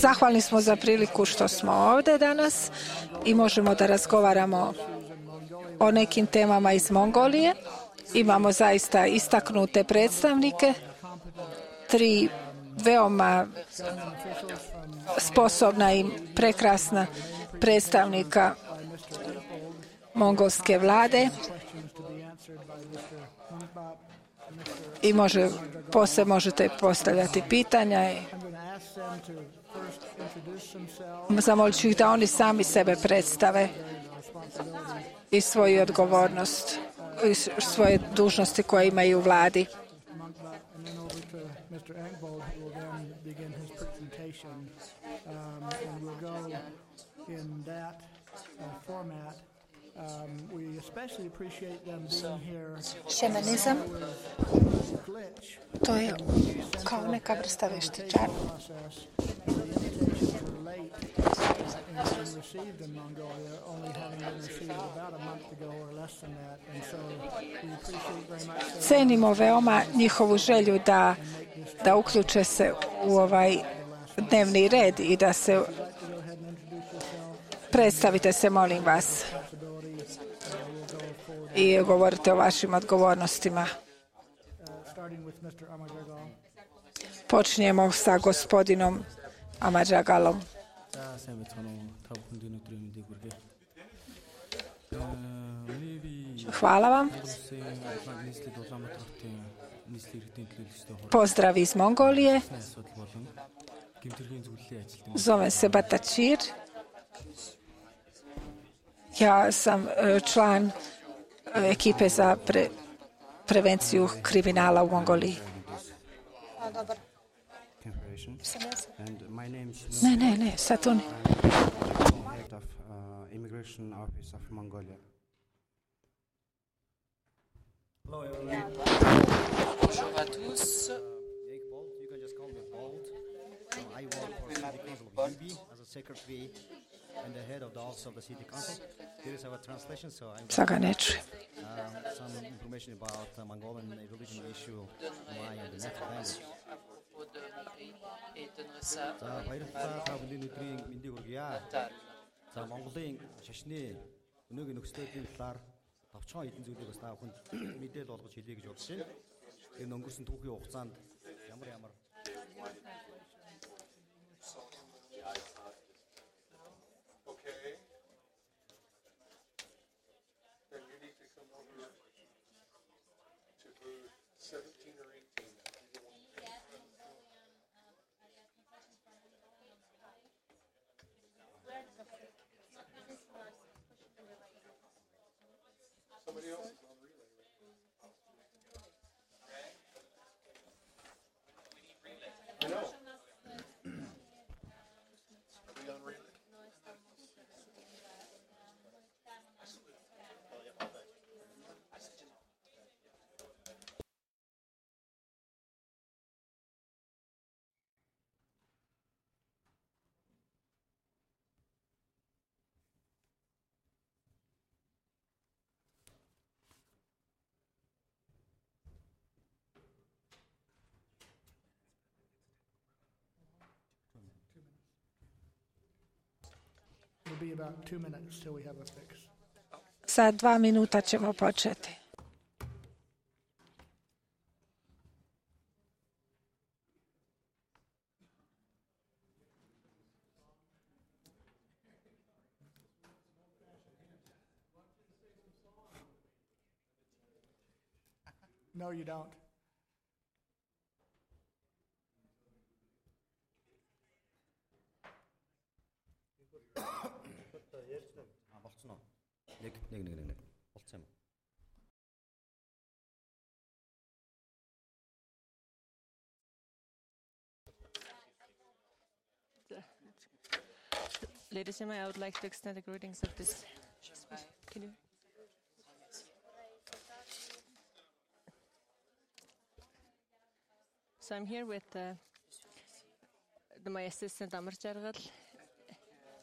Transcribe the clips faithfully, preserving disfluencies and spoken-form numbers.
Zahvalni smo za priliku što smo ovdje danas i možemo da razgovaramo o nekim temama iz Mongolije. Imamo zaista istaknute predstavnike, tri veoma sposobna i prekrasna predstavnika mongolske vlade i može, poslije možete postavljati pitanja. Zamolit ću ih da oni sami sebe predstave i svoju odgovornost i svoje dužnosti koje imaju u vladi. Šemenizam, to je kao neka vrsta veštičara. Cenimo veoma njihovu želju da, da uključe se u ovaj dnevni red i da se predstavite se, molim vas, i govorite o vašim odgovornostima. Počinjemo sa gospodinom Amarjagalom. Hvala vam. Pozdrav iz Mongolije. Zovem se Batačir. Ja sam član ekipe za pre, prevenciju kriminala u Mongoliji. Ne, ne, ne, sad tu ne. Hello everyone. Bonjour à tous. Jake Bolt, you can just call me Bolt. I work for City Council of U B as a secretary and the head of the office of the City Council. Here is our translation, so I'm Saga ne čujem. um, some information about uh, Mongolian religion issue my and the native language. За баярлалаа та бүхний өдрийн мэндийг хүргье. За Монголын шашны өнөөгийн нөхцөлийн талаар товчхон эдийн зүйлийг бас та бүхэнд мэдээлэл болгож хэлье гэж бодож байна. Энэ өнгөрсөн түүхийн хугацаанд ямар ямар Somebody else is on relay. I know. Are we on relay? It'll be about two minutes till we have a fix. Za dva minuta ćemo početi. No, you don't. А болцсон уу? Нэг нэг нэг нэг болцсон юм. Ladies and gentlemen, I would like to extend the greetings of this. Can you? So I'm here with uh, the, my assistant Amar Jargal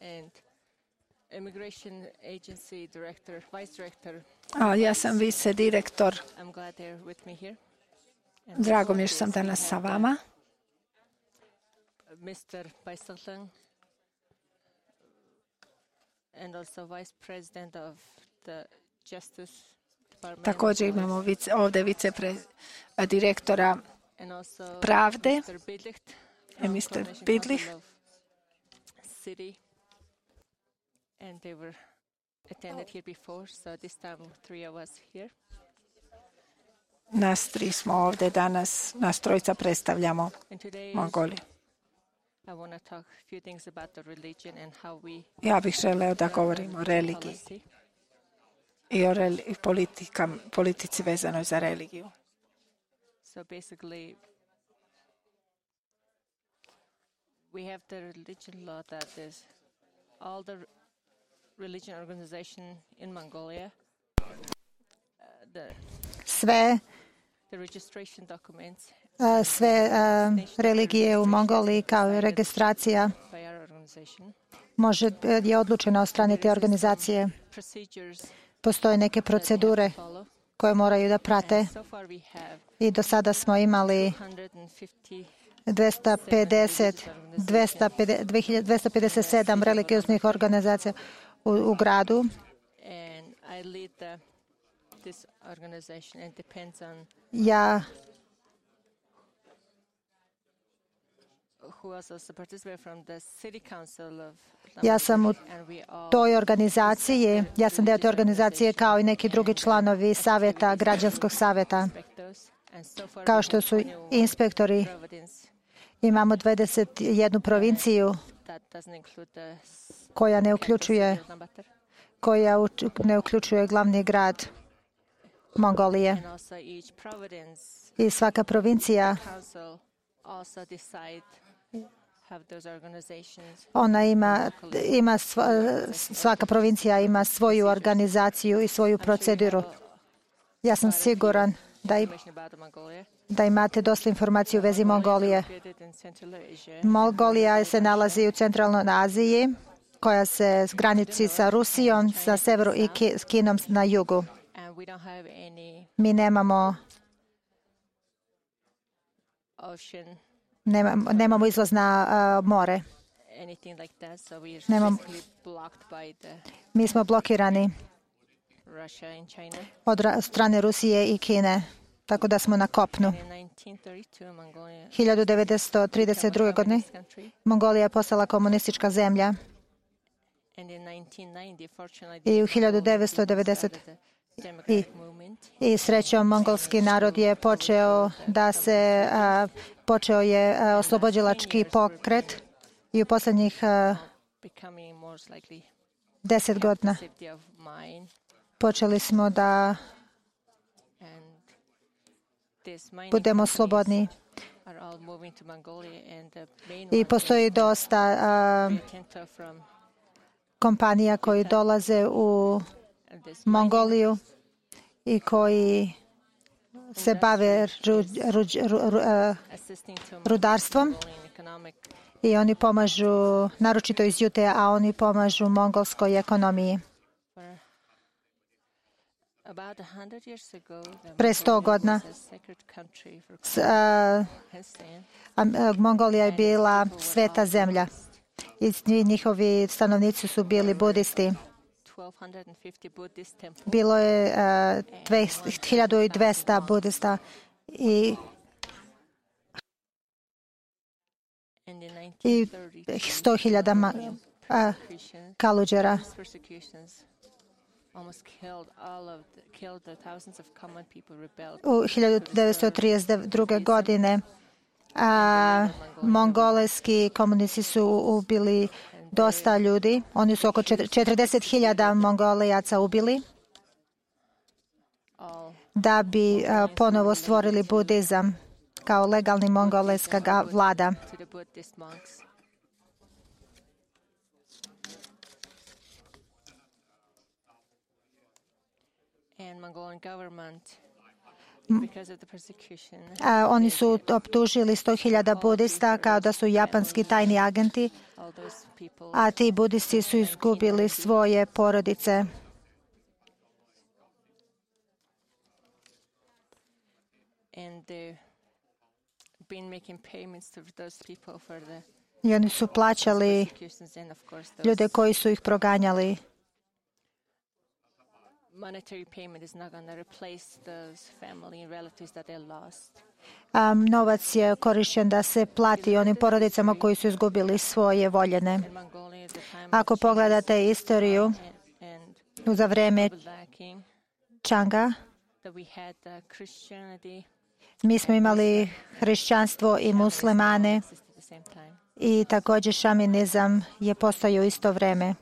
and Immigration Agency Director, Vice Director. A, ja sam vice direktor. I'm glad they're with me here. Drago mi je što sam danas sa vama. Mister Baisalang, and also Vice President of the Justice Department. Također imamo vice, ovdje vice pre, direktora and also pravde, Mister Bidlicht i from mister Coordination Bidlich. Council of City, and they were attended here before, so this time three of us here. Nas tri smo ovdje danas, nas trojica predstavljamo And today Mongoliju. I want to talk a few things about the religion and how we Ja bih želeo da govorim o religiji policy. i o reli, politika, politici vezanoj za religiju. So basically, we have the religion law that is all the religion organization in Mongolia, uh, the, Sve, the registration documents uh, sve uh, religije u Mongoliji kao i registracija by our organization. može, je odlučena od strane te organizacije. Procedures Postoje neke procedure follow. koje moraju da prate So far we have i do sada smo imali two hundred fifty dvesta pedeset, dvesta pedeset, dvesta pedeset sedam religioznih organizacija u, u gradu. and I lead the, this organization and depends on Ja who else also participate from the city council of Ja sam u and we all toj organizaciji, ja sam deo te organizacije kao i neki drugi članovi savjeta, građanskog savjeta. respect those. And so far Kao we što have su twenty-one inspektori, provinces imamo dvadeset jednu provinciju that doesn't include the s- koja ne uključuje, Ulaanbaatar. koja uč- ne uključuje glavni grad Mongolije. And also each province I svaka provincija, council also decide have those organizations. ona ima, ima sva- svaka provincija ima svoju organizaciju i svoju proceduru. Ja sam siguran da, i, Information about Mongolia. da imate dosta informacija u vezi Mongolije. Located in Central Asia. Mongolija se nalazi u centralnoj Aziji, koja se graniči sa Rusijom, sa severu i Ki- s Kinom na jugu. And we don't have any Mi nemamo, ocean, nemamo, nemamo izlaz na a, more. anything like that, so we are Nemam- basically blocked by the Mi smo blokirani Russia and China. od ra- strane Rusije i Kine, tako da smo na kopnu. In nineteen thirty-two, Mongolia hiljadu devetsto trideset druge. godine communist country, Mongolija je postala komunistička zemlja and in nineteen ninety, fortunately, i u the hiljadu Mongolians devetsto devedeset. started the democratic movement. i srećom mongolski narod je počeo da se a, počeo je a, oslobodilački pokret i u posljednjih a, Becoming more likely deset godina safety of mind, počeli smo da and this mining budemo companies slobodni. are all moving to Mongolia, and the main I one postoji is dosta a, Rio Tinto from kompanija koji dolaze u and this Mongoliju i koji se bave ru, ru- ru- ru- a, assisting to rudarstvom Mongolian economic. i oni pomažu, naročito iz Jute, a oni pomažu mongolskoj ekonomiji. For about a hundred years ago, the Pre sto Mongolia godina was a sacred country for S- a, Pakistan. a, Mongolija je bila sveta zemlja i svi njihovi stanovnici su bili budisti. twelve fifty Buddhist temples. Bilo je a, dve- hiljadu dvesta budista i, And in i nineteen thirty, sto hiljada ma- a, Christians, kaluđera. these persecutions almost killed all of the, killed the thousands of common people rebelled. U hiljadu devetsto trideset druge. godine a, mongolski komunisti su ubili dosta ljudi. Oni su oko čet- četrdeset hiljada Mongolijaca ubili All da bi a, ponovo stvorili budizam kao legalni mongolska ga- vlada. to the Buddhist monks. And Mongolian government, because of the persecution, A, oni su optužili sto hiljada budista kao da su japanski tajni agenti, all those people a ti budisti su izgubili svoje porodice. and they've been making payments to those people for the I oni su plaćali persecutions and of course those ljude koji su ih proganjali. monetary payment is not going to replace those family and relatives that they lost. A novac je korišten da se plati onim porodicama koji su izgubili svoje voljene. In Mongolia at the time Ako pogledate istoriju and, and za vreme lacking Čanga, that we had uh, Christianity mi smo imali hrišćanstvo i muslimane at the same time. i također šaminizam je postojao u isto vreme.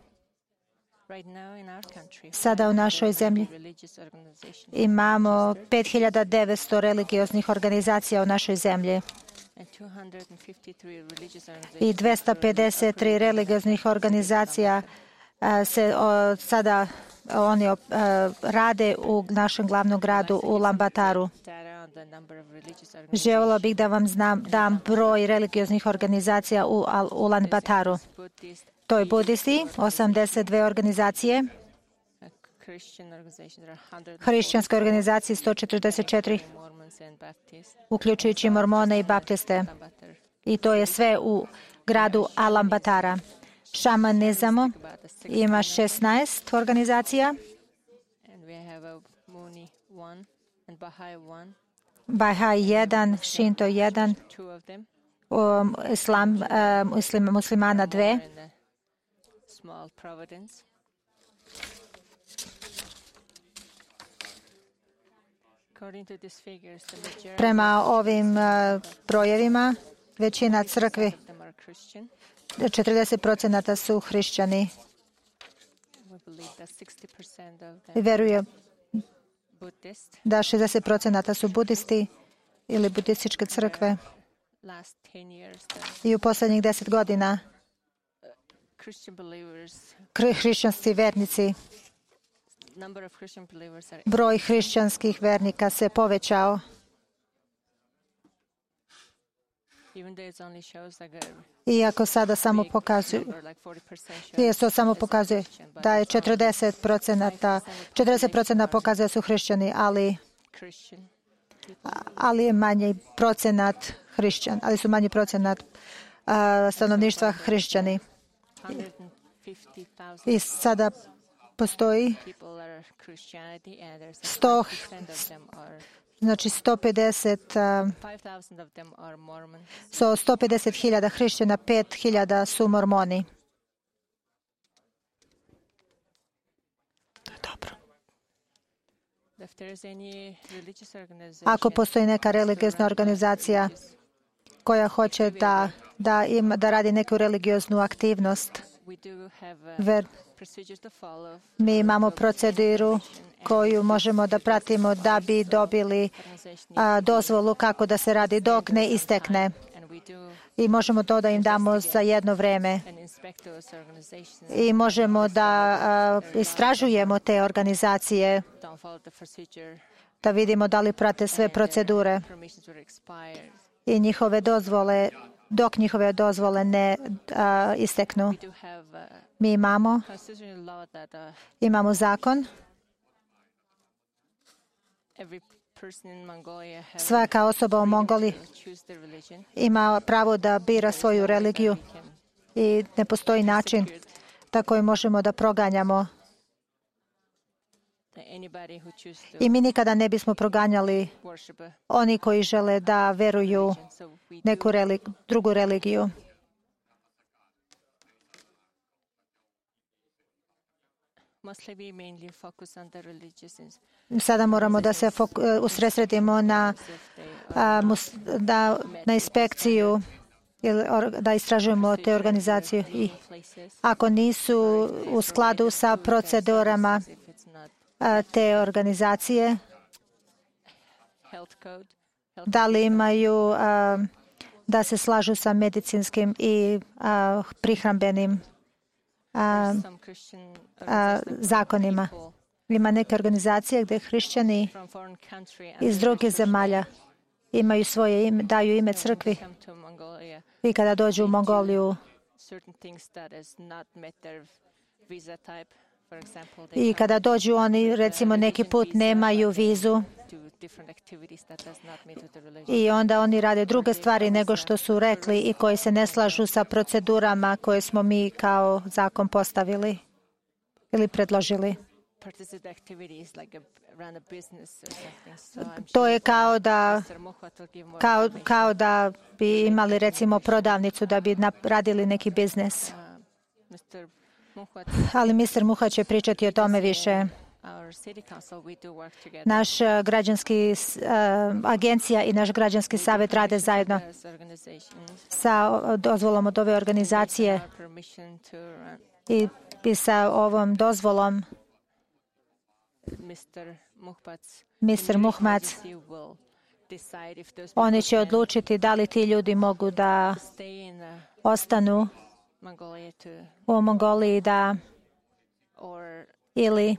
Right now in our country, Sada u našoj zemlji religious organizations imamo pet hiljada devetsto religioznih organizacija u našoj zemlji and two hundred fifty-three religious i organizations dvesta pedeset tri religioznih organizacija a, se o, sada oni o, a, rade u našem glavnom gradu u Ulaanbaataru. data on the number of religious organizations. Željela bih da vam znam, dam broj religioznih organizacija u Al- Ulaanbaataru. Buddhist, To je budisti, osamdeset dve organizacije, uh, Christian organizations there are one hundred hrišćanske organizacije sto četrdeset četiri, Mormons and Baptists. uključujući mormone i baptiste. Ulaanbaatar. I to je sve u gradu Ulaanbaatara. Šamanizamo About the six, ima šesnaest organizacija, and we have a Muni one and Baha'i one, Bahai jedan, Shinto jedan, two of them, um, islam, um, muslim, muslimana dve, and a small Providence. According to these figures, the majority Prema ovim uh, brojevima, većina crkvi, of them are Christian. četrdeset procenata su hrišćani. We believe that sixty percent of I them veruje Buddhist. da šezdeset procenata su budisti ili budističke crkve. Last ten years, the I u posljednjih deset godina Christian believers, kri- hrišćanski vernici, number of Christian believers are broj hrišćanskih vernika se povećao. even though it only shows like a Iako sada samo big pokazuje, number, like forty percent shows to samo as pokazuje Christian, but da je it's only četrdeset procenata, četrdeset procenata pokazuje su hrišćani, ali, Christian. ali je manji procenat hrišćan, ali su manji procenat a, stanovništva hrišćani. one hundred fifty thousand I sada postoji people are Christianity and there's sto- five percent of them are znači sto pedeset, a, five thousand of them are Mormons. so sto pedeset hiljada hrišćana, pet hiljada su mormoni. Dobro. If there is any religious organization Ako postoji neka religiozna organizacija koja hoće da, da, ima, da radi neku religioznu aktivnost, we do have uh, ver, procedures to follow. mi imamo proceduru koju možemo da pratimo da bi dobili Organization a, dozvolu kako da se radi dok ne istekne. and we do I možemo to da im damo za jedno vreme. and inspect those organizations I možemo da a, istražujemo te organizacije, don't follow the procedure. da vidimo da li prate sve procedure Permissions were expired. i njihove dozvole, dok njihove dozvole ne a, isteknu. We do have uh, Mi imamo, constitutional law that uh, imamo zakon. every person in Mongolia has Svaka osoba u Mongoliji to choose their religion. ima pravo da bira svoju religiju Can i ne postoji način da koji možemo da proganjamo. that anybody who chooses to I mi nikada ne bismo proganjali worship a oni koji žele da veruju religion. So we neku do reli- drugu religiju. mostly we mainly focus on the religious ins- Sada moramo da se fok- e, usredsredimo na, if they are a, mus- da, na inspekciju ili or- da istražujemo te organizacije. I places. ako nisu u skladu sa procedurama If it's not a, te organizacije, health code, health da li imaju a, da se slažu sa medicinskim i a, prihrambenim a, some Christian a, zakonima. people Ima neke organizacije gdje hrišćani from foreign country and iz drugih zemalja imaju svoje ime, daju ime crkvi come to Mongolia, i kada dođu u Mongoliju certain things that has not met their visa type. I kada dođu oni, recimo, neki put nemaju vizu i onda oni rade druge stvari nego što su rekli i koji se ne slažu sa procedurama koje smo mi kao zakon postavili ili predložili. To je kao da, kao, kao da bi imali, recimo, prodavnicu da bi radili neki biznis. Ali mister Muha će pričati o tome više. Naš građanski uh, agencija i naš građanski savjet rade zajedno sa dozvolom od ove organizacije i, i sa ovom dozvolom mister Muhmac, oni će odlučiti da li ti ljudi mogu da ostanu u Mongoliji da ili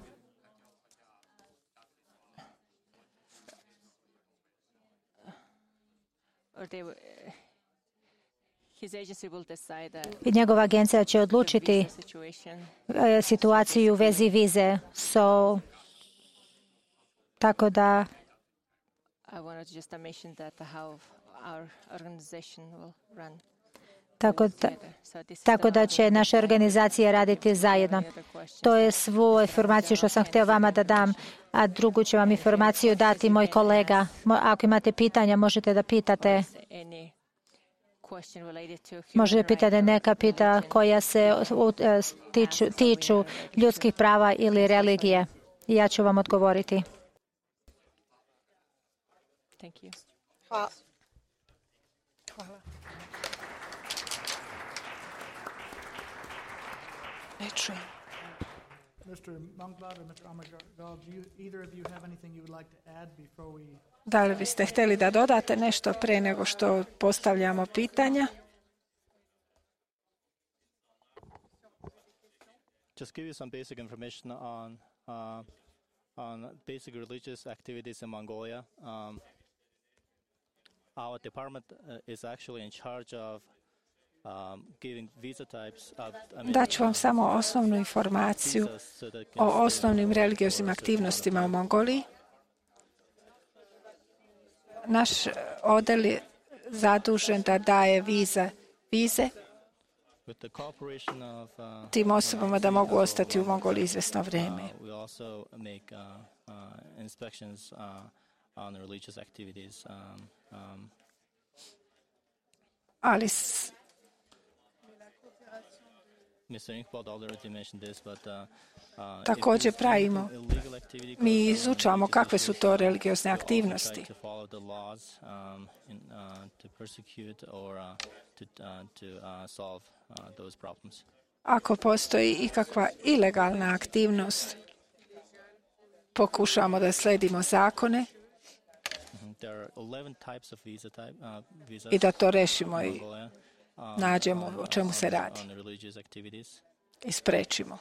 i njegova agencija će odlučiti situaciju u vezi vize. So, tako da Tako da, tako da će naše organizacije raditi zajedno. To je svu informaciju što sam htio vama da dam, a drugu će vam informaciju dati moj kolega. Ako imate pitanja, možete da pitate. Možete pitati neka pita koja se tiču, tiču ljudskih prava ili religije. I ja ću vam odgovoriti. Hvala. Hvala. Ne čujem. mister Manglad and mister Amagal, do you, either of you have anything you would like to add before we... Da li biste htjeli da dodate nešto prije nego što postavljamo pitanja? Just give you some basic information on uh, on basic religious activities in Mongolia. Um, our department uh, is actually in charge of um, giving visa types. Uh, I mean, Daću vam samo osnovnu informaciju o osnovnim religioznim aktivnostima u Mongoliji. Naš odjel je zadužen da daje vize, vize tim osobama da mogu ostati u Mongoliji izvjesno vrijeme. Ali s... također pravimo, mi izučavamo kakve su to religiozne aktivnosti. Ako postoji ikakva ilegalna aktivnost, pokušavamo da sledimo zakone i da to rešimo i nađemo o čemu se radi i sprečimo.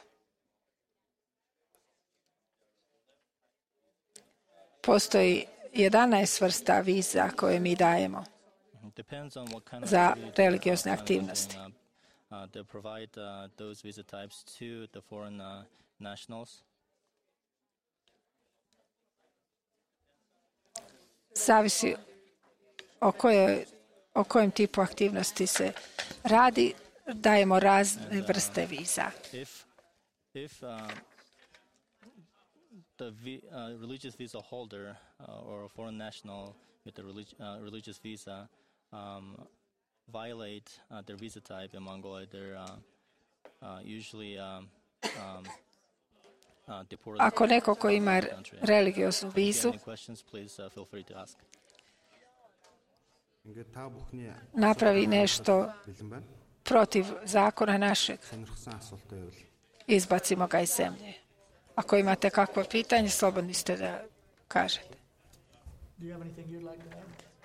Postoji jedanaest vrsta viza koje mi dajemo za religiozne aktivnosti. Zavisi o kojoj o kojem tipu aktivnosti se radi, dajemo razne vrste viza. If, if, uh, the vi, uh, religious visa holder uh, or a foreign national with a relig- uh, religious visa um, violate uh, their visa type in Mongolia, they're uh, uh, usually um, um, uh, deported. Ako neko ko ima religioznu vizu, napravi nešto protiv zakona našeg, izbacimo ga iz zemlje. Ako imate kakvo pitanje, slobodni ste da kažete.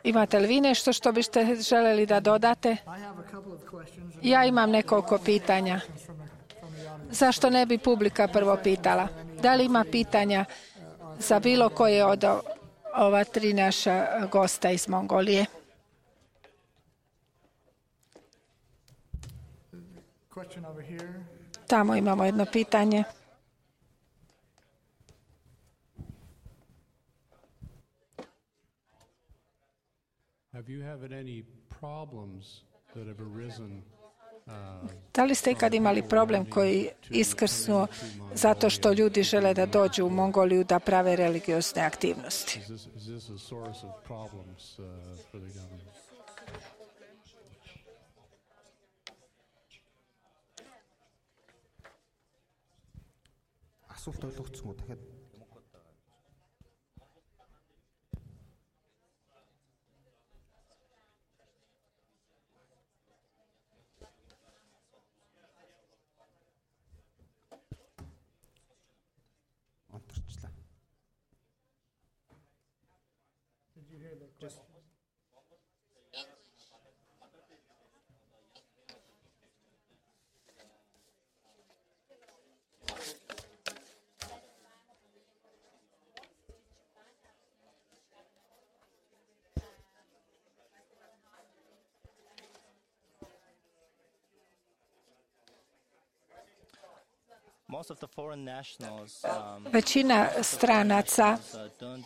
Imate li vi nešto što biste željeli da dodate? Ja imam nekoliko pitanja. Zašto ne bi publika prvo pitala? Da li ima pitanja za bilo koje od ova tri naša gosta iz Mongolije? Tamo imamo jedno pitanje. Da li ste ikad imali problem koji iskrsnuo zato što ljudi žele da dođu u Mongoliju da prave religiozne aktivnosti? Асуулт ойлгогдсон уу? Дахиад онторчлаа. Most of the foreign nationals um, Većina stranaca uh, don't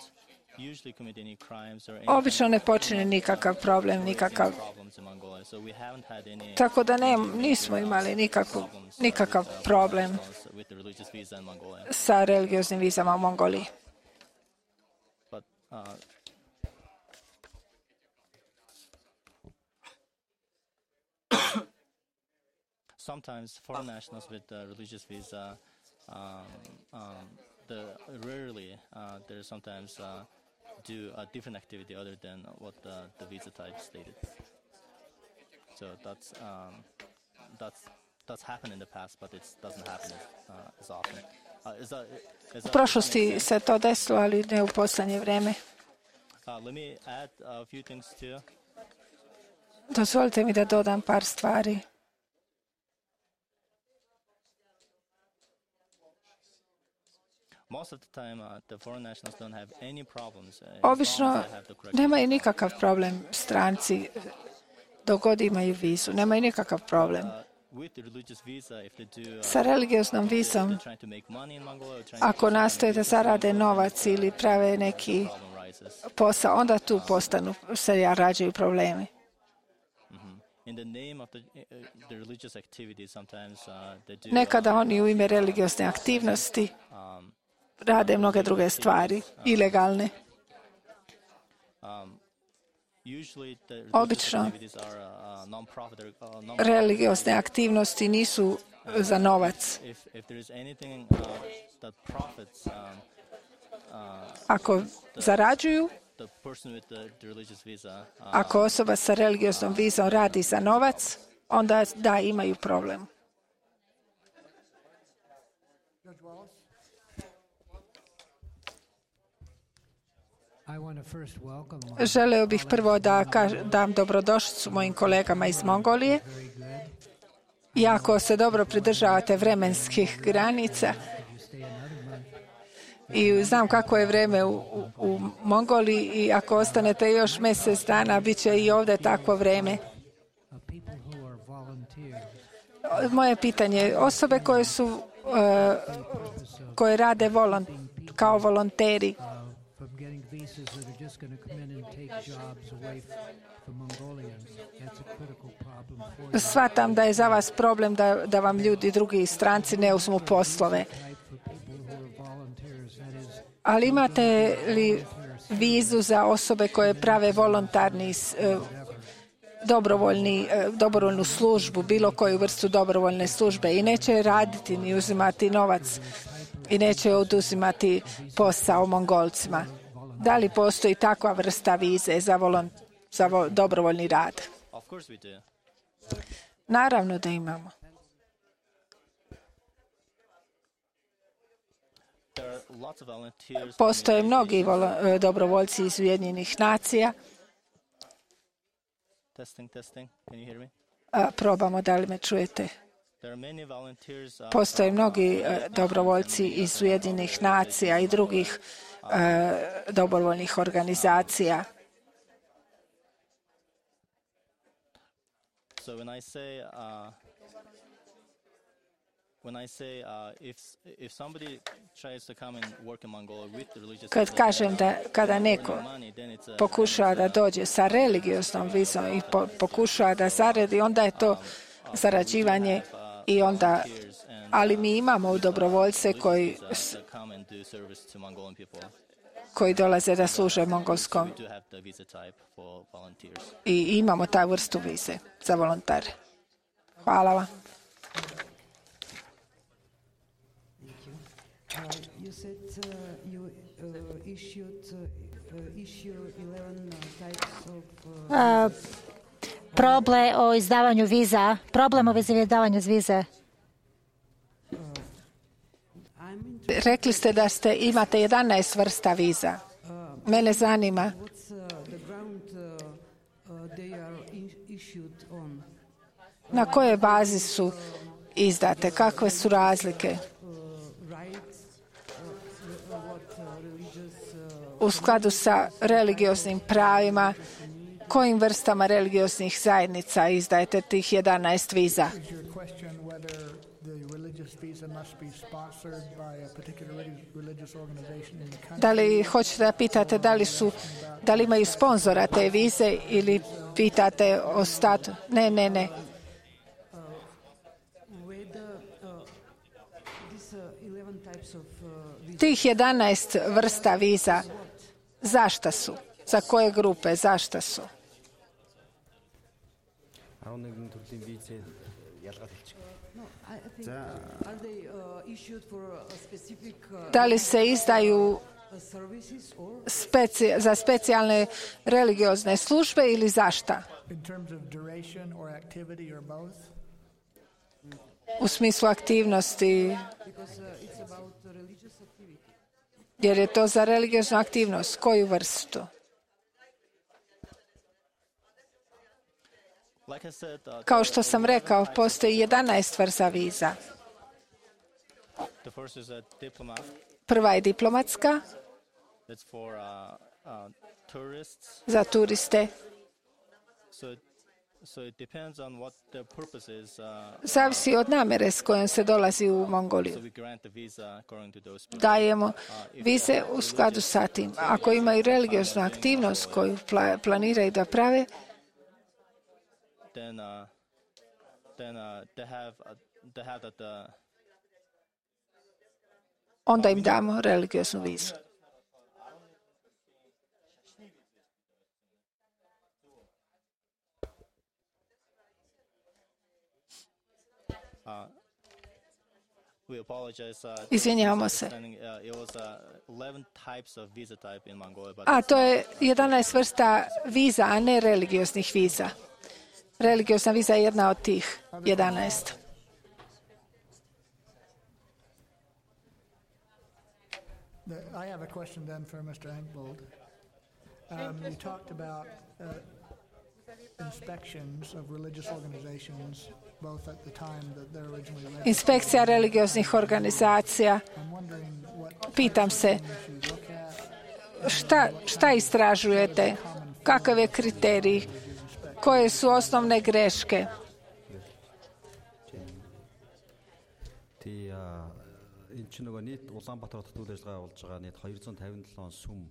usually commit any crimes or any obično ne počine nikakav problem, nikakav. problems in Mongolia. So we haven't had any Tako da ne, nismo imali nikakvu, nikakav problem with the religious visa in Mongolia. sa religioznim vizama u Mongoliji. But uh, sometimes foreign nationals with uh, religious visa, um, um, the rarely uh, they sometimes uh, do a different activity other than what the, the visa type stated. So that's um, that's that's happened in the past, but it doesn't happen uh, as often. Uh, is that, is U that prošlosti se to desilo, ali ne u poslednje vreme. Uh, let me add a few things too. Dozvolite mi da dodam par stvari. Most of the time, uh, the foreign nationals don't have any problems. Uh, as long Obično as they have the correct nemaju nikakav problem stranci dok god imaju vizu. Nemaju nikakav problem. Uh, with the religious visa, if they do, uh, Sa religioznom vizom, they're trying to make money in Mongolia, or trying to ako nastoje da zarade novac ili prave neki problem rises. posao, onda tu postanu, se rađaju problemi. In the name of the, uh, the religious activity, sometimes uh, they do. Nekada oni u ime religiozne aktivnosti Um, rade mnoge druge stvari, ilegalne. um, usually, the religious Obično activities are uh, non-profit. or, Uh, non religiozne aktivnosti nisu za novac. if if there is anything uh, that profits, um, uh, Ako zarađuju, the person with the, the religious visa, uh, ako osoba sa religioznom vizom radi za novac, onda da, imaju problem. Judge Wallace? I want to first welcome my Želeo bih prvo da kaž- dam dobrodošlicu mojim kolegama iz Mongolije. very good. I ako se dobro pridržavate vremenskih granica, You stay another month. i znam kako je vreme u, u, u Mongoliji, i ako ostanete još mjesec dana, bit će i ovdje takvo vreme. Of people who are volunteers. Moje pitanje je, osobe koje su uh, koje rade volon, kao volonteri, Uh, from getting visas that are just going to come in and take jobs away f- from Mongolians. That's a critical problem for you. shvatam da je za vas problem da, da vam ljudi, drugi stranci, ne uzmu poslove. Type for people who are volunteers, that is, Ali imate li vizu za osobe koje prave volontarni, uh, dobrovoljni, uh, dobrovoljnu službu, bilo koju vrstu dobrovoljne službe, i neće raditi ni uzimati novac i neće oduzimati posao Mongolcima? Da li postoji takva vrsta vize za, volon, za vo, dobrovoljni rad? of course we do. Naravno da imamo. There are lots of volunteers. Postoje mnogi volo, dobrovoljci iz Ujedinjenih nacija. Testing, testing. Can you hear me? A, probamo, da li me čujete? There are many volunteers. Uh, Postoje from, mnogi uh, e, dobrovoljci iz Ujedinjenih nacija i drugih e, dobrovoljnih organizacija. So when I say uh, when I say uh, if if somebody tries to come and work in Mongolia with the religious Kad visa, kažem da kada neko money, then it's a, pokušava da dođe sa religioznom vizom i po, pokušava da zaradi, onda je to zarađivanje i onda, ali mi imamo dobrovoljce koji, uh, that come and do service to Mongolian people. koji dolaze da služe mongolskom We do have the visa type for volunteers. i imamo taj vrstu vize za volontare. Hvala vam. Uh, you said uh, you uh, issued uh, issue eleven uh, types of uh, A, problem o izdavanju viza, problem o izdavanju vize. Rekli ste da ste imate jedanaest vrsta viza. Mene zanima what's uh, the ground uh, uh, they are in- issued on? na kojoj bazi su izdate, kakve su razlike Uh, rights, uh, what uh, religious uh, u skladu sa religioznim pravima, kojim vrstama religioznih zajednica izdajete tih jedanaest viza. Is your question whether the religious visa must be sponsored by a particular relig- religious organization in the country? Da li hoćete da pitate da li su, da li imaju sponzora te vize ili pitate o statu? Ne, ne, ne. whether uh, these uh, eleven types of uh, visa Tih jedanaest vrsta viza, zašta su? Za koje grupe, zašta su? арван нэгэн төрлийн визээ ялгаад хэлчих. no, I, I think are they uh, issued for a specific uh, Da li se izdaju uh, services or speci- za specijalne religiozne službe ili zašta? In terms of duration or activity or both? U smislu aktivnosti, because uh, it's about uh, religious activity? jer je to za religioznu aktivnost. Koju vrstu? Like I said, uh, Kao što sam rekao, postoji jedanaest vrsta viza. the first is a diplomat. Prva je diplomatska That's for uh, uh, tourists. za turiste. So, it, so it depends on what the purpose is. Uh, Zavisi od namere s kojom se dolazi u so Mongoliju. we grant the visa according to those people. Dajemo vize u skladu sa tim. Ako imaju religioznu aktivnost koju pla- planiraju da prave, Then, uh, then uh, they have uh, they have that uh, onda im damo religioznu vizu. uh, we apologize. Uh, Izvinjavamo se. understanding, uh, it was uh, eleven types of visa type in Mongolia, but A to je jedanaest vrsta viza, a ne religioznih viza. Religiozna viza je jedna od tih jedanaest. The- I have a question then for Mister Engvold. Um, you talked about uh, inspections of religious organizations, both at the time that they're originally registered. Inspekcija religioznih organizacija. I'm wondering what Pitam se, you look at. šta, šta istražujete? Kakav je kriterij? Koje su osnovne greške? Тий а энэ ч нөгөө нийт Улаанбаатар хотод үйл ажиллагаа болж байгаа нийт two hundred fifty-seven сүм.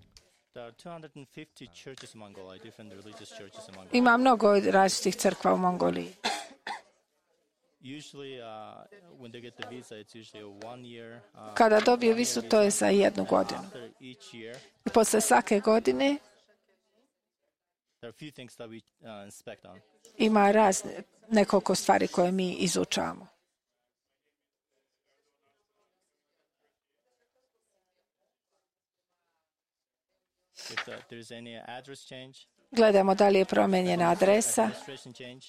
there are two hundred fifty churches in Mongolia, different religious churches in Mongolia. Ima mnogo različitih crkva u Mongoliji. Usually, uh, when they get the visa, it's usually a one year. Uh, Kada dobiju vizu, to je za jednu godinu. after each year, I posle svake godine there are a few things that we uh, inspect on. ima razne, nekoliko stvari koje mi izučavamo. If uh, there's any address change, Gledamo da li je promenjena adresa, administration change,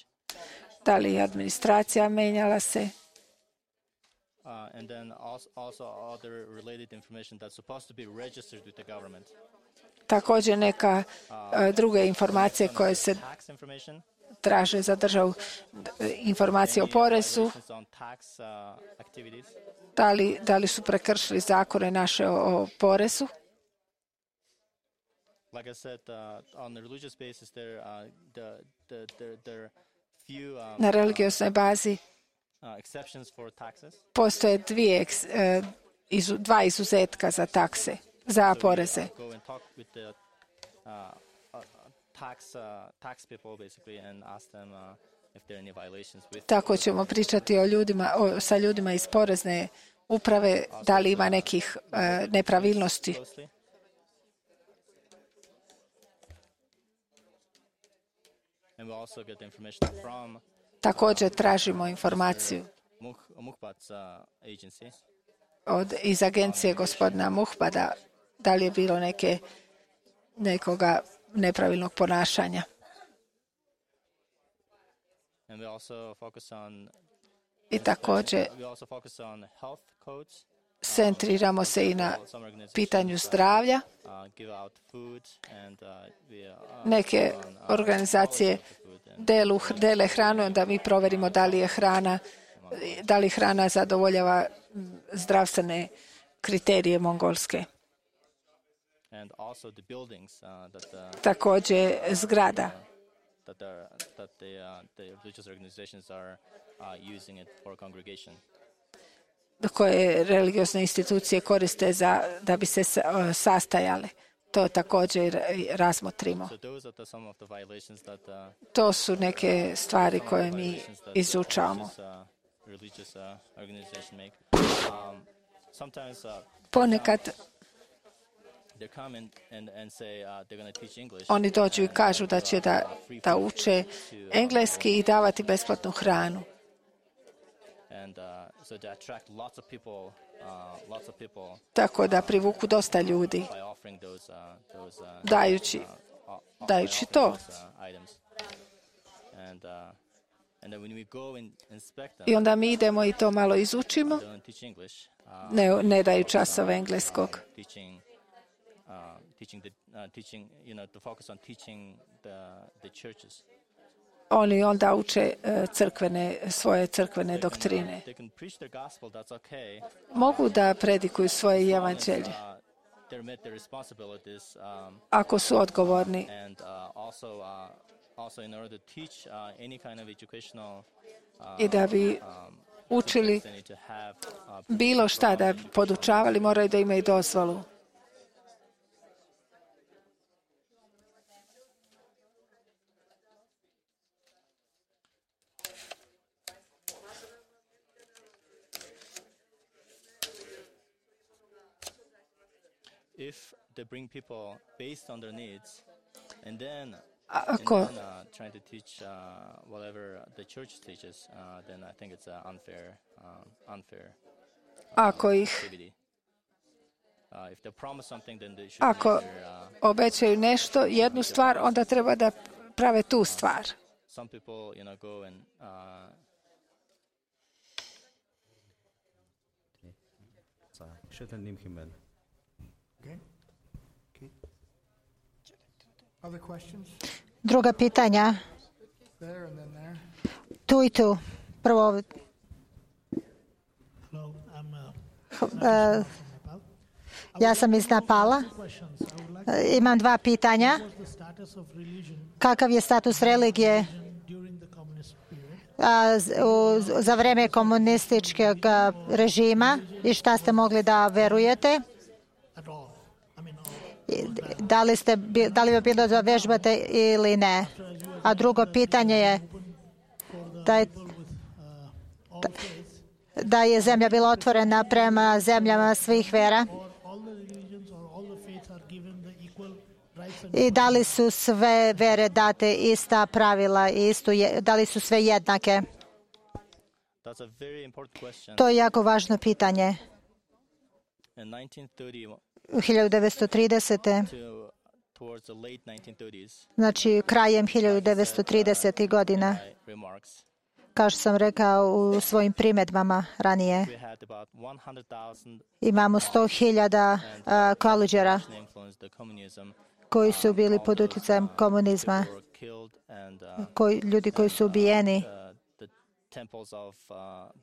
da li je administracija menjala se. uh, and then also, also other related information that's supposed to be registered with the government. Također neka e, druge informacije koje se Tax information, traže za državu, e, informacije o porezu, violations on tax uh, activities, da li, da li su prekršili zakone naše o, o porezu. like I said, uh, on the religious basis, there uh, the the there there are few um, Na religiosnoj bazi uh, postoje dvije, dva izuzetka za takse, za poreze. Tako ćemo pričati o ljudima, o, sa ljudima iz porezne uprave, da li ima nekih uh, nepravilnosti. Također tražimo informaciju od, iz agencije gospodina Muhbada, da li je bilo neke, nekoga nepravilnog ponašanja. I također centriramo se i na pitanju zdravlja. Neke organizacije delu, dele hranu, onda mi provjerimo da li je hrana, da li hrana zadovoljava zdravstvene kriterije mongolske. Također zgrada. That, the, that the, uh, the religious organizations are uh, using it for congregation. Koje religiozne institucije koriste za, da bi se sastajale. To također razmotrimo. So those are the, some of the violations that, uh, to su neke stvari koje mi izučavamo. Religious, uh, organization make. Um, sometimes, uh, Ponekad oni dođu i kažu da će da, da uče engleski i davati besplatnu hranu. Tako da privuku dosta ljudi dajući, dajući to. I onda mi idemo i to malo izučimo, ne, ne daju časove engleskog. Uh, teaching the uh, teaching, you know, to focus on teaching the the churches. Oni onda uče uh, crkvene, svoje crkvene doktrine. They can preach their gospel, that's okay. Mogu da predikuju svoje evanđelje. Um, ako su odgovorni. And uh, also uh, also in order to teach uh, any kind of educational uh, I da bi učili bilo šta, da bi podučavali, moraju da imaju dozvolu. If they bring people based on their needs, and then, Ako, and then uh, trying to teach uh, whatever the church teaches, uh, then I think it's uh, unfair, um, unfair uh, Ako ih, activity. Uh, if they promise something, then they should ako make their, uh, obećaju nešto, jednu stvar, onda treba da prave tu stvar. some people, you know, go and uh, За шилэн нэмэх юм байна. Okay. Okay. Other questions? Druga pitanja. There and then there. Tu i tu. Prvo, Hello, I'm, uh, uh, Nepal. ja sam iz Nepala. Imam dva pitanja. What was the status of religion Kakav je status religije during the communist period? a, z- u, za vreme komunističkog a, režima i šta ste mogli da verujete? At all? I mean, all, I Da li, ste, bi- da li bi bilo da vežbate ili ne? A drugo pitanje je da je, with uh, all faiths, da je zemlja bila otvorena prema zemljama svih vera or all the religions or all the faiths are given the equal rights and i da li su sve vere date ista pravila i istu, je- da li su sve jednake? that's a very important question. To je jako važno pitanje. In nineteen thirty U hiljadu devetsto tridesete. to towards the late nineteen thirties, znači krajem hiljadu devetsto tridesetih godina, my remarks, kao što sam rekao u svojim primjedbama ranije, we had about one hundred thousand imamo sto hiljada koleđera influenced the communism. koji su bili pod utjecajem komunizma, Were killed and uh, koji, ljudi koji su ubijeni uh, the temples of uh,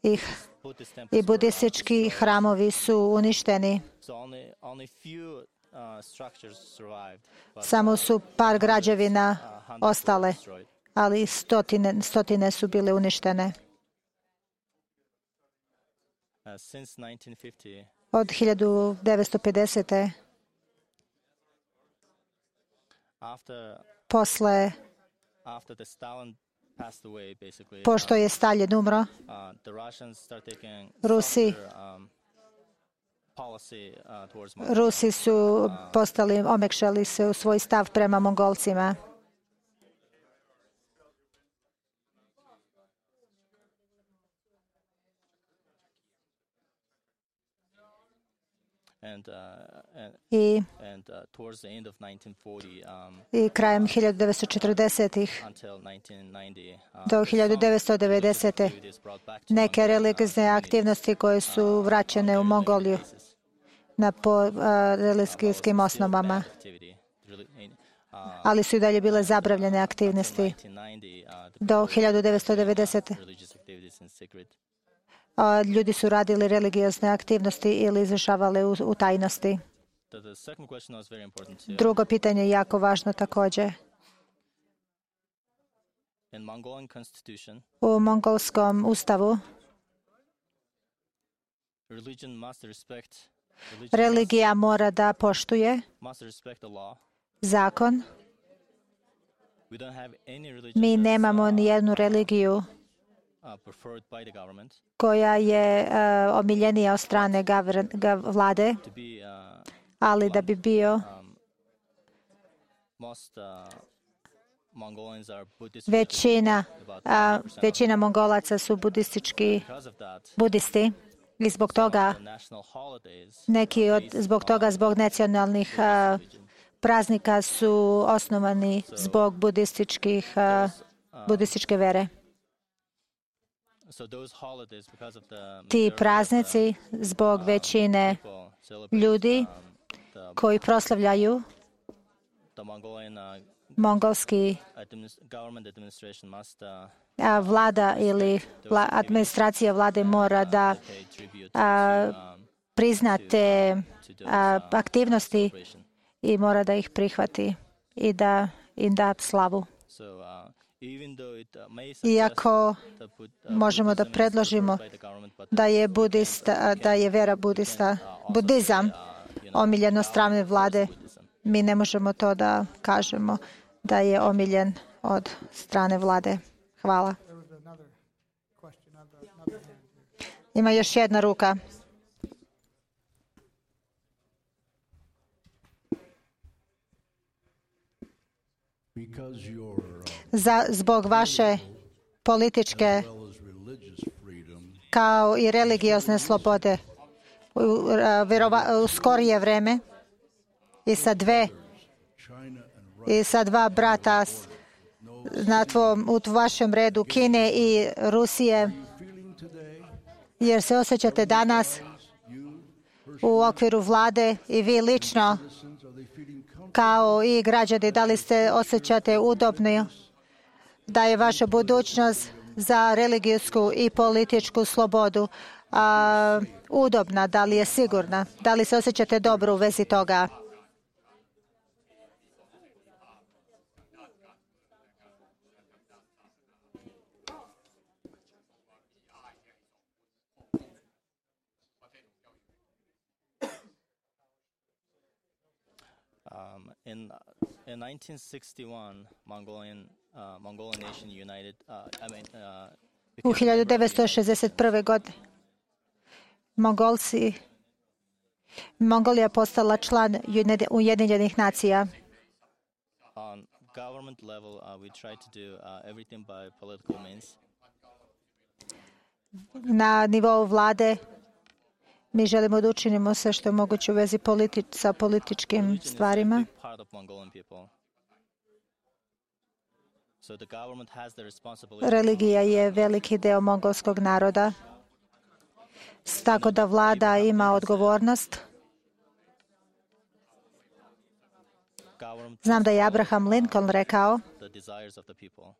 i, Buddhist temples i were budistički hramovi su uništeni. so only only few uh, structures survived, but Samo su par građevina uh, hundreds were ostale, destroyed. ali stotine, stotine su bile uništene. since nineteen fifty, od hiljadu devetsto pedesete. after posle after the Stalin passed away, basically, pošto je Stalin umro, uh, the Russians start taking Rusi, softer, um, policy uh, towards Mongolia. Rusi su postali, omekšali se u svoj stav prema Mongolcima. And, uh, and, I, and uh, towards the end of nineteen forty, um, i krajem hiljadu devetsto četrdesetih until nineteen ninety, uh, do hiljadu devetsto devedesete. activities brought back to neke Mongolia, religiozne aktivnosti koje su vraćene u Mongoliju na po uh, religijskim osnovama, activity. Really, uh, ali su i dalje bile zabranjene aktivnosti. nineteen ninety, uh, the Do hiljadu devetsto devedesete. religious activities in secret. A, ljudi su radili religiozne aktivnosti ili izvršavali u, u tajnosti. The, the second question was very important too. Drugo pitanje je jako važno također. In Mongolian constitution, U mongolskom ustavu religion must respect religion religija mora da poštuje must, must respect the law. zakon. We don't have any religion Mi that's, nemamo uh, ni jednu religiju uh, preferred by the government koja je uh, omiljenija od strane gavr, gav, vlade, to be uh, ali da bi bio um, most uh, Mongolians are Buddhist većina, religion, about a, ninety percent of većina Mongolaca su budistički Because of that, budisti i zbog toga the national holidays neki od, zbog toga, zbog nacionalnih a, praznika su osnovani zbog budističkih, a, budističke vere. so those holidays, because of the Ti majority of praznici zbog većine the people celebrate, ljudi um, the, koji proslavljaju the Mongolian uh, mongolski administ- government administration must uh, a, vlada ili vla, administracija vlade mora da pay tribute a, to, um, prizna te to those a, uh, aktivnosti celebration. i mora da ih prihvati i da im da slavu. So, uh, even though it, uh, may suggest Iako that Bud- uh, možemo da Buddhism is predložimo preferred by the government, but da je budista, da je vera budista, budizam uh, you know, omiljen od strane vlade, Buddhism. mi ne možemo to da kažemo da je omiljen od strane vlade. Hvala. There was another question, another, another hand here. Ima još jedna ruka. Because your uh, Za, zbog vaše političke well as religious freedom, kao i religiozne slobode u, a, verova, u skorije vreme i sa dve China and Russia i sa dva brata s- na tvom, u vašem redu Kine i Rusije, feeling today, jer se osjećate danas u okviru vlade i vi lično citizens, are they feeling comfortable? kao i građani, da li se osjećate udobni da je vaša budućnost za religijsku i političku slobodu a, udobna, da li je sigurna, da li se osjećate dobro u vezi toga? Um, in in nineteen sixty-one, Mongolian uh, Mongolian nation united. Uh, I mean, uh, U became a member of the hiljadu United devetsto šezdeset prve. godine Mongolci, Mongolija postala član Ujedi- Ujedinjenih nacija. On government level, uh, we try to do uh, everything by political means. Na nivou vlade mi želimo da učinimo sve što je moguće u vezi politi- sa političkim Religion is a stvarima. big part of Mongolian people. So the government has the responsibility. Religija je veliki deo mongolskog naroda, S- tako da vlada ima odgovornost. Government Znam da je Abraham Lincoln rekao, the desires of the people.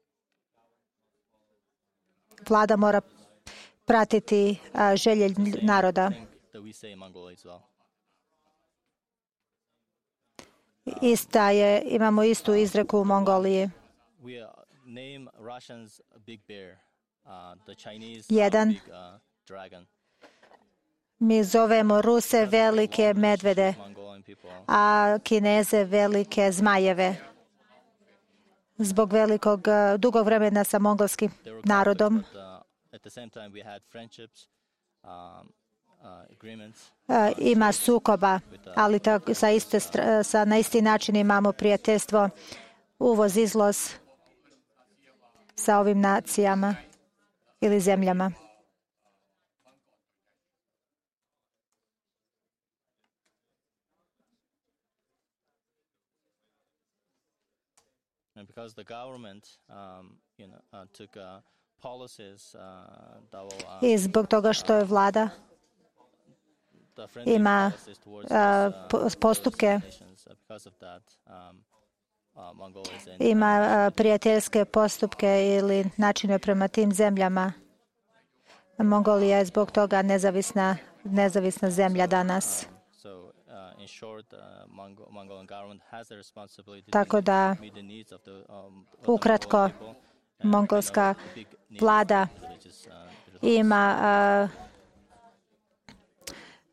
vlada mora pratiti a, želje lj- naroda. I think that we say in Mongolia as well. Ista je, imamo istu izreku u Mongoliji. We uh, name Russians a big bear, uh, the Chinese uh, Jedan. big uh, dragon. Mi zovemo Ruse velike medvede, a Kineze velike zmajeve. Zbog velikog, dugog vremena sa mongolskim narodom ima sukoba, ali tako, sa iste, sa, na isti način imamo prijateljstvo, uvoz, izvoz sa ovim nacijama ili zemljama. And because the government, um, you know, uh, took uh, policies uh, that will, uh, I zbog toga što je vlada ima uh, postupke, ima uh, prijateljske postupke ili načine prema tim zemljama. Mongolija je zbog toga nezavisna, nezavisna zemlja danas. Tako da, ukratko, mongolska vlada ima, uh,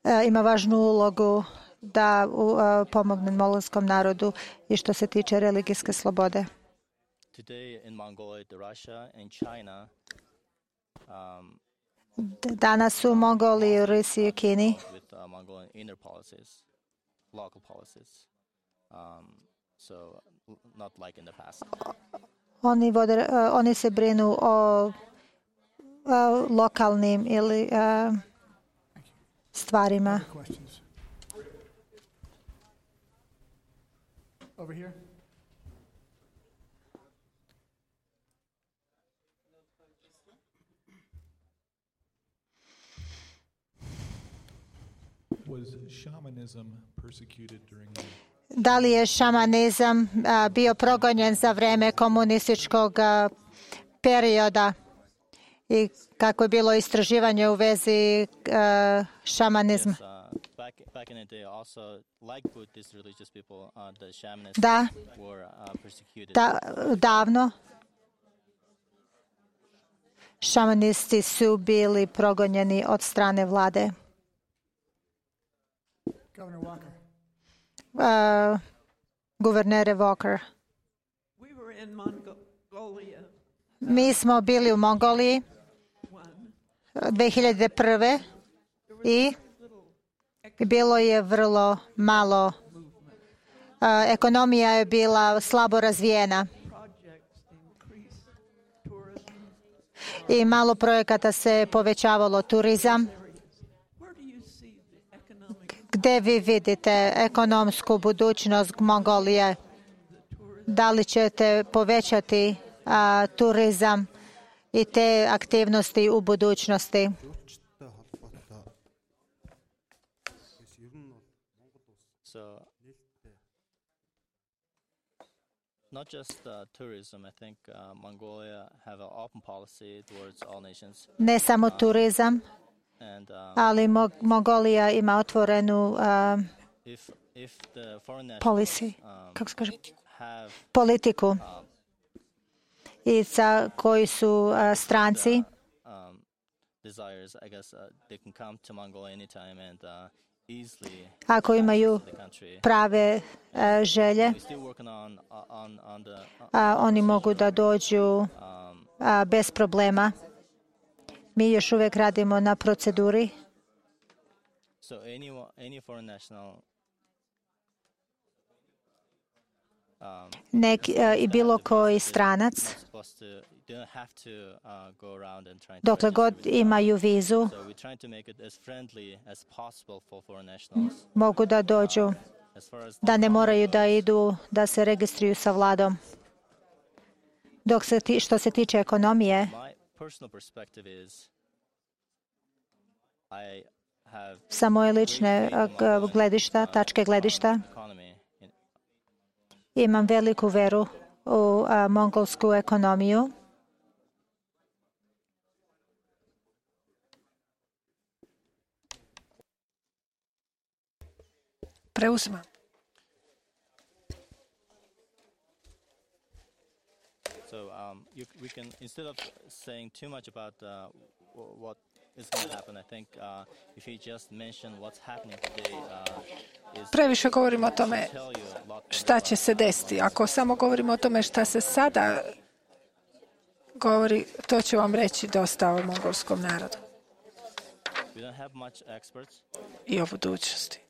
uh, ima važnu ulogu da uh, pomogne mongolskom narodu i što se tiče religijske slobode. Danas u Mongoliji, Rusiji i Kini local policies, um, so not like in the past. Oni, vode, uh, oni se brinu o uh, lokalnim ili uh, stvarima. Over here. Da li je šamanizam a, bio progonjen za vreme komunističkog a, perioda i kako je bilo istraživanje u vezi a, šamanizma? Da, da, davno šamanisti su bili progonjeni od strane vlade. Governor Walker. Uh, guvernere Walker. We were in Mongolia. Mi smo bili u Mongoliji dve hiljade prve i bilo je vrlo malo. Uh, ekonomija je bila slabo razvijena i malo projekata se povećavalo, turizam. Gde vi vidite ekonomsku budućnost Mongolije? Da li ćete povećati a, turizam i te aktivnosti u budućnosti? So, not just uh, tourism, I think uh, Mongolia have an open policy towards all nations. Ne samo turizam, And, um, ali Mo- Mongolija ima otvorenu uh, if, if the foreign policy, um, kako se kaže, have, politiku um, i sa koji su uh, stranci. um, desires, I guess uh, they can come to Mongolia anytime and uh, easily Ako imaju the country. prave uh, želje, We're still working on on on the uh, a oni mogu da dođu um, a, bez problema. Mi još uvijek radimo na proceduri. so any any foreign national um, Nek, a, i bilo koji stranac, supposed to don't have to uh, go around and try to dokle god imaju vizu, so we're trying to make it as friendly as possible for foreign nationals. mogu da dođu, As far as da ne moraju da idu, da se registruju sa vladom. Dok se ti, što se tiče ekonomije, my personal perspective is I have sa moje lične a, g- gledišta, tačke gledišta, economy in, imam veliku veru u a, mongolsku ekonomiju. Preuzima. so um, you, we can instead of saying too much about uh, wh- what is going to happen. I think uh, if you just mention what's happening today, uh, is Previše govorimo o tome tell you a lot šta će se desiti. Ako samo govorimo o tome šta se sada govori, to će vam reći dosta o mongolskom narodu we don't have much experts. i o budućnosti.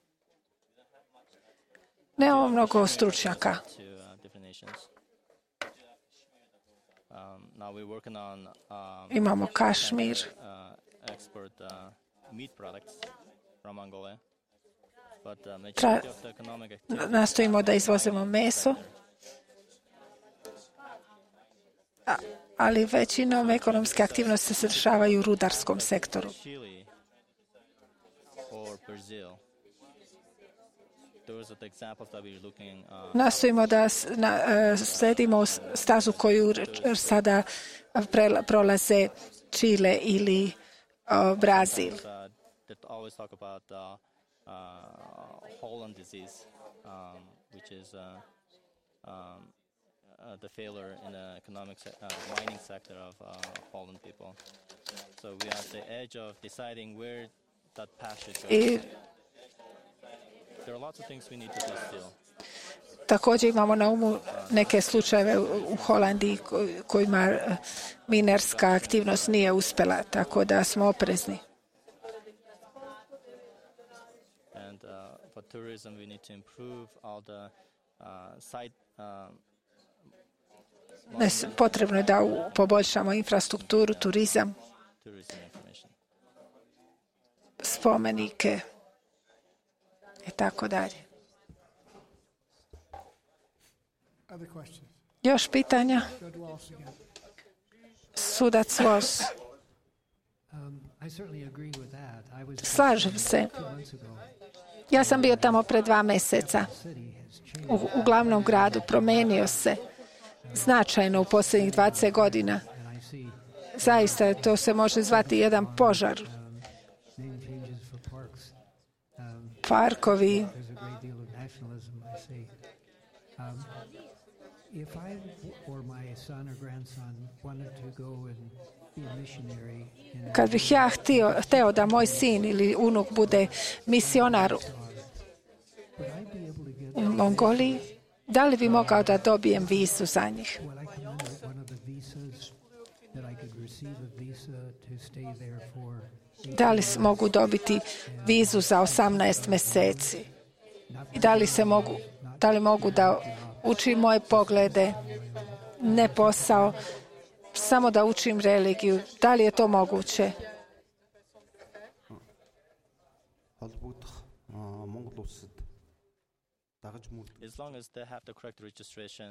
Nemamo mnogo stručnjaka. To uh, different nations. Um, now we're working on um, Imamo Kašmir, uh, export uh, meat products from Mongolia, but uh, majority of the economic activity nastojimo da izvozimo meso, a, ali većinom ekonomske aktivnosti se dešavaju u rudarskom sektoru. Chile or Brazil. Those are the examples that we're looking. Uh, Nastojimo da s- na, e, sledimo s- stazu koju r- sada prela- prolaze Čile ili o, Brazil. uh, that always talk about uh, uh, Holland disease, um, which is uh, um, uh, the failure in the economic se- uh, mining sector of uh, Holland people. So we are at the edge of deciding where that path should go. I There are lots of things we need to do still. također imamo na umu neke slučajeve u u Holandiji ko- kojima e, minerska aktivnost nije uspjela, tako da smo oprezni. And uh, for tourism, we need to improve all the uh, site. Um, Ne s- Potrebno je da u- poboljšamo infrastrukturu, turizam, tourism information. spomenike i tako dalje. Other questions? Još pitanja? Judge Wallace again. Sudac Vos. Um, I certainly agree with that. I was Slažem se. two months ago. Ja sam bio tamo pre dva meseca. City has changed, U, u glavnom gradu promenio se značajno u posljednjih dvadeset godina. and I see Zaista to se može zvati jedan požar. name changes for parks. Um, Parkovi, there's a great deal of nationalism, I see. Um, if I or my son or grandson wanted to go and be a missionary in kad bih ja htio, hteo da moj sin ili unuk bude misionar would I be able to get u Mongoliji, da li bi mogao da dobijem vizu za njih? Will I come under one of the visas that I could receive a visa to stay there for? Da li s- mogu dobiti vizu za osamnaest meseci? I da li se mogu, da li mogu da učim moje poglede, ne posao, samo da učim religiju? Da li je to moguće? холбогдох аа, Монгол улсад дагаж мөрдөх As long as they have the correct registration,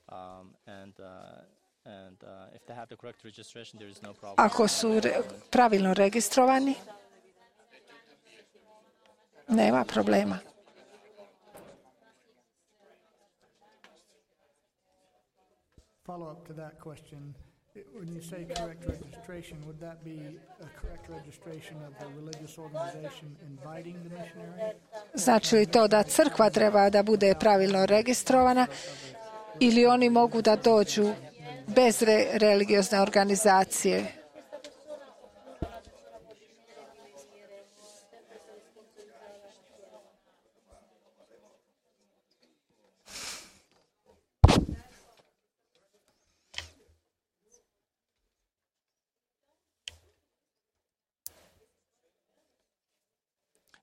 um, and uh, and uh, if they have the correct registration, there is no problem. Ako su re- pravilno registrovani, nema problema. Follow up to that question. I- When you say correct registration, would that be a correct registration of the religious organization inviting the missionary? Znači li to da crkva treba da bude pravilno registrovana ili oni mogu da dođu bez re- religiozne organizacije?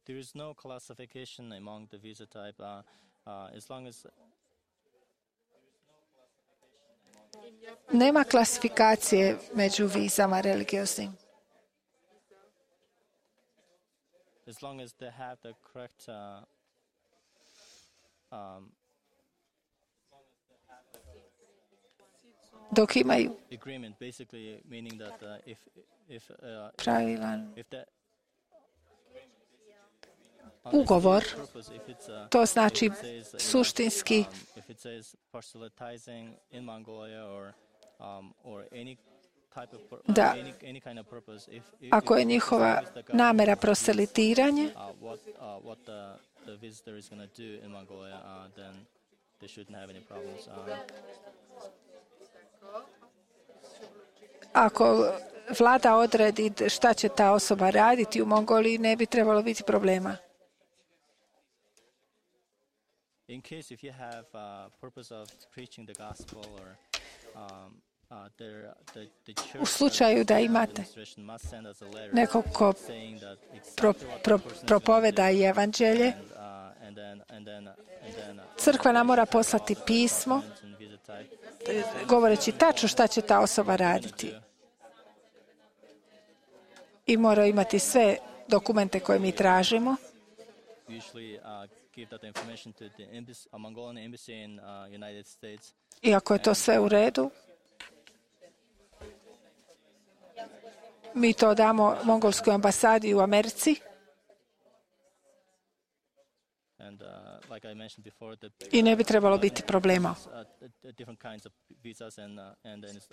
There is no classification among the visa type, uh, uh, as long as Nema klasifikacije među vizama religioznim. as long as they have the correct uh, um, Dok imaju agreement, basically meaning that uh, if if uh, pravilan if the ugovor, purpose, if it's, uh, to if znači it says, uh, suštinski um, if it says proselytizing in Mongolia or um, or any type of pur- Da. any any kind of purpose, if, if ako je if- njihova as long as the government namera agrees, proselitiranje, uh, what uh, what the the visitor is going to do in Mongolia, uh, then they shouldn't have any problems. Um, ako vlada odredi šta će ta osoba raditi u Mongoliji, ne bi trebalo biti problema. In case if you have uh, purpose of preaching the gospel or um, uh, there, the, the church U slučaju da imate administration must send us a letter nekog ko saying that pro, exactly what pro, the person is propoveda going to i do. evanđelje, And, uh, and then, and then, and then, uh, crkva nam mora poslati pismo and visa type. e, govoreći tačno šta će ta osoba raditi. I mora imati sve dokumente koje mi tražimo. Usually uh, give that information to the embassy, a Mongolian embassy in uh, United States. I ako je to sve u redu, mi to damo mongolskoj ambasadi u Americi. And uh, like I mentioned before, the I ne bi trebalo biti problema. uh, the different kinds of visas, and uh, and then as,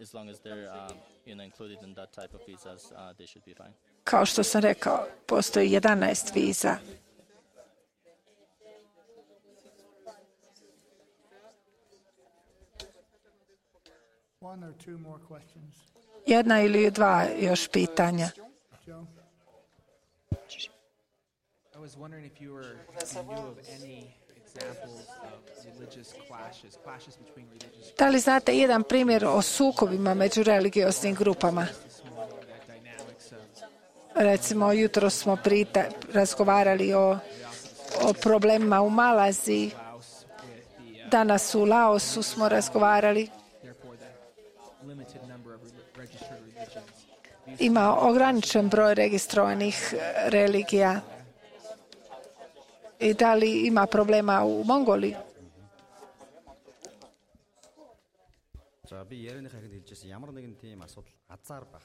as long as they're um, you know included in that type of visas, uh, they should be fine. Kao što sam rekao, postoji jedanaest viza. One or two more questions. Jedna ili dva još pitanja. Joe? I was wondering if you were if you knew of any examples of religious clashes, clashes between religious Da li znate jedan primjer o sukobima među religioznim grupama? dynamics of Recimo, jutro smo prita, razgovarali o, o problemima u Malaziji. Laos with the uh, Danas u Laosu smo razgovarali. therefore the limited number of re- registered religions. Ima ograničen broj registrovanih e, religija. I da li ima problema u Mongoliji? За би ярианыхаа ихэд хэлжсэн ямар нэгэн тийм асуудал азар байх.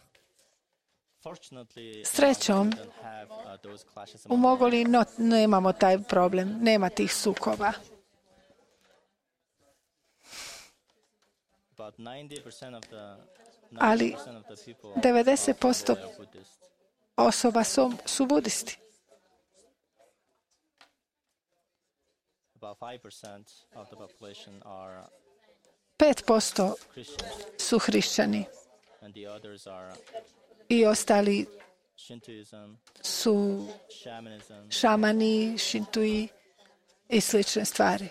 Fortunately, Srećom, we don't have uh, those clashes u among Mongoliji no, nemamo taj problem, nema tih sukoba. about ninety percent of the Ali ninety percent of the people devedeset posto are Buddhist. osoba su, su budisti. About five percent of the population are pet posto Christians, su hrišćani and the others are i ostali Shintoism, su shamanism, šamani, šintui i slične stvari.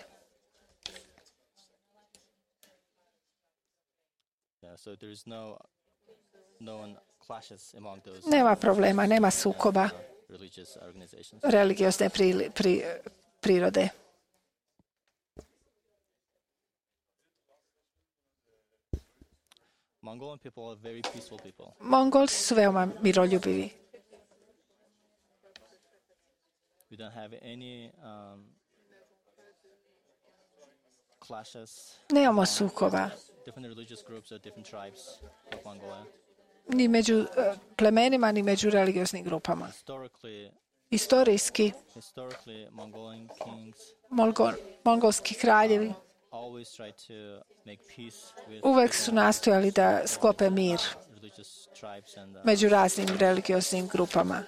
yeah, so there is no known clashes among those Nema problema, nema sukoba religious organizations. religiozne pri, pri, prirode. Mongolian people are very peaceful people. Mongolci su veoma miroljubivi. We don't have any um, clashes. Nemamo sukoba Different religious groups or different tribes of Mongolia. ni među eh, plemenima, ni među religioznim grupama. Historically, Istorijski, historically, Mongolian kings Mongol, mongolski kraljevi always try to make peace with uvek su nastojali da sklope mir religious tribes and uh, među raznim religioznim grupama.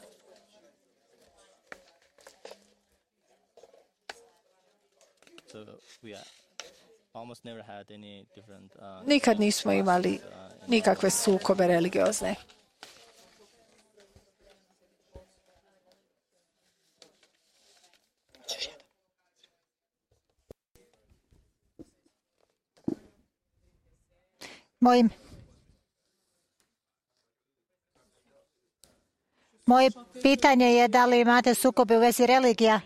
so we uh, almost never had any different. Uh, Nikad nismo imali nikakve sukobe religiozne. Mojim Moje pitanje je da li imate sukobe u vezi religija?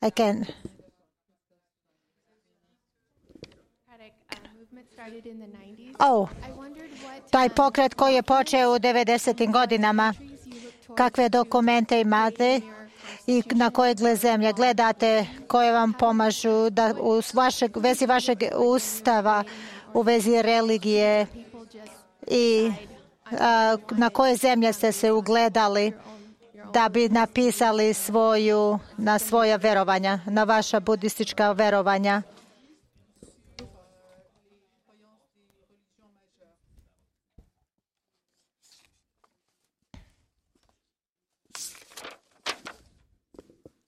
I can. Oh, taj pokret koji je počeo u devedesetim godinama, kakve dokumente imate i na koje zemlje gledate, koje vam pomažu da u vašeg, vezi vašeg ustava, u vezi religije i a, na koje zemlje ste se ugledali da bi napisali svoju, na svoja verovanja, na vaša budistička verovanja?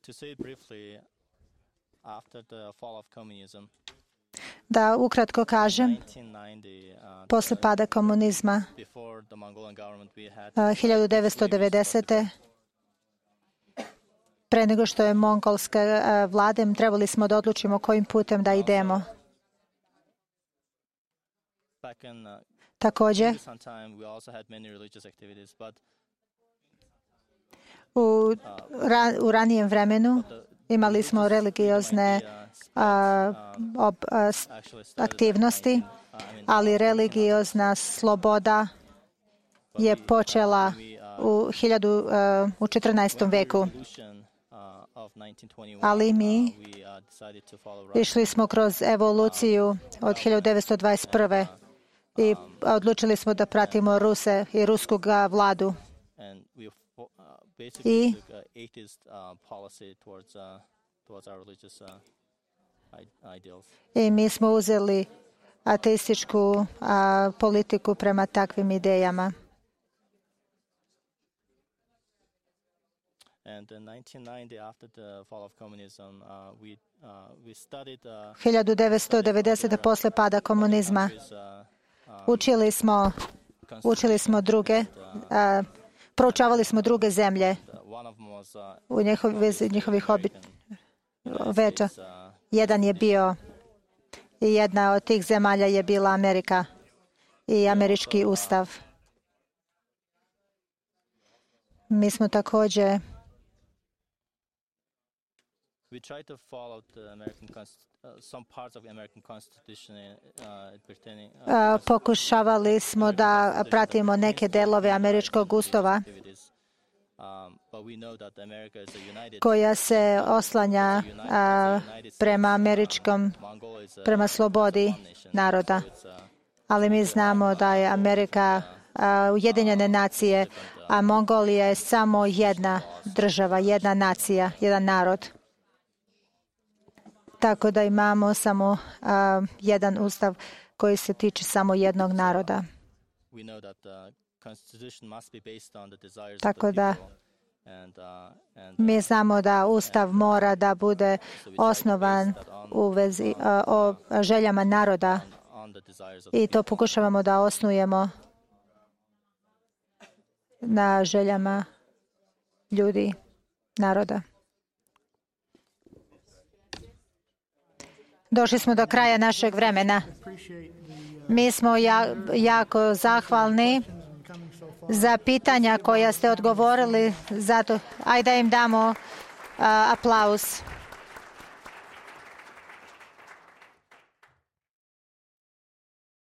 To say briefly, after the fall of communism, Da ukratko kažem, posle pada komunizma hiljadu devetsto devedesete. pre nego što je mongolska vlada, trebali smo da odlučimo kojim putem da idemo. Također, u, ra, u ranijem vremenu imali smo religiozne a, ob, a, aktivnosti, ali religiozna sloboda je počela u, hiljadu, a, u četrnaestom veku. Ali mi išli smo kroz evoluciju od hiljadu devetsto dvadeset prve. i odlučili smo da pratimo Ruse i rusku vladu. I I mi smo uzeli ateističku a, politiku prema takvim idejama. hiljadu devetsto devedesete. posle pada komunizma učili smo, učili smo druge, a, proučavali smo druge zemlje u njihovi, njihovih obi, veča. Jedan je bio i jedna od tih zemalja je bila Amerika i američki ustav. Mi smo također pokušavali smo da pratimo neke delove američkog ustava koja se oslanja a, prema američkom, prema slobodi naroda. Ali mi znamo da je Amerika a, Ujedinjene nacije, a Mongolija je samo jedna država, jedna nacija, jedan narod. Tako da imamo samo a, jedan ustav koji se tiče samo jednog naroda. Tako da mi znamo da ustav mora da bude osnovan u vezi a, o željama naroda i to pokušavamo da osnujemo na željama ljudi, naroda. Došli smo do kraja našeg vremena. Mi smo ja, jako zahvalni za pitanja koja ste odgovorili. Zato, ajde da im damo uh, aplauz.